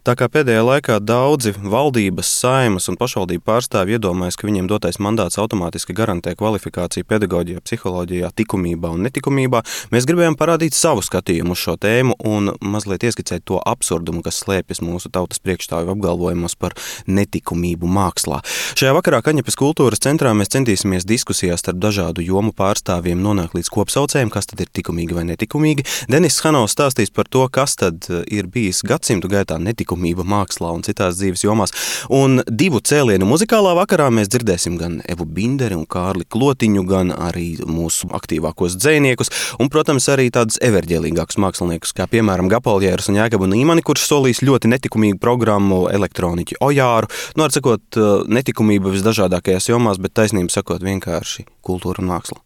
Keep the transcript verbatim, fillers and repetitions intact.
Tā kā pēdējā laikā daudzi valdības, saimas un pašvaldību pārstāvji iedomājas, ka viņiem dotais mandāts automātiski garantē kvalifikāciju pedagoģijā, psiholoģijā, likumībā un netikumībā, mēs gribējām parādīt savu skatījumu uz šo tēmu un mazliet ieskicēt to absurdumu, kas slēpjas mūsu tautas priekšstāvju apgalvojumos par netikumību mākslā. Šajā vakarā Kaņepes kultūras centrā mēs centīsimies diskusijās starp dažādu jomu pārstāvjiem nonākt līdz kopsaucējiem, kas tad ir tikumīgi vai netikumīgi. Denis Hanovs stāstīs par to, kas tad ir bijis gadsimtu gaitā netikumīgi mākslā un citās dzīves jomās. Un divu cēlienu muzikālā vakarā mēs dzirdēsim gan Evu Binderi un Kārli Klotiņu, gan arī mūsu aktīvākos dzejniekus, un, protams, arī tādus everģēlīgākus māksliniekus, kā piemēram Gapaljērs un Jēkabu Nīmani, kurš solīs ļoti netikumīgu programmu elektroniķi Ojāru. Nu, ar sakot, netikumība visdažādākajās jomās, bet taisnība sakot vienkārši kultūra un māksla.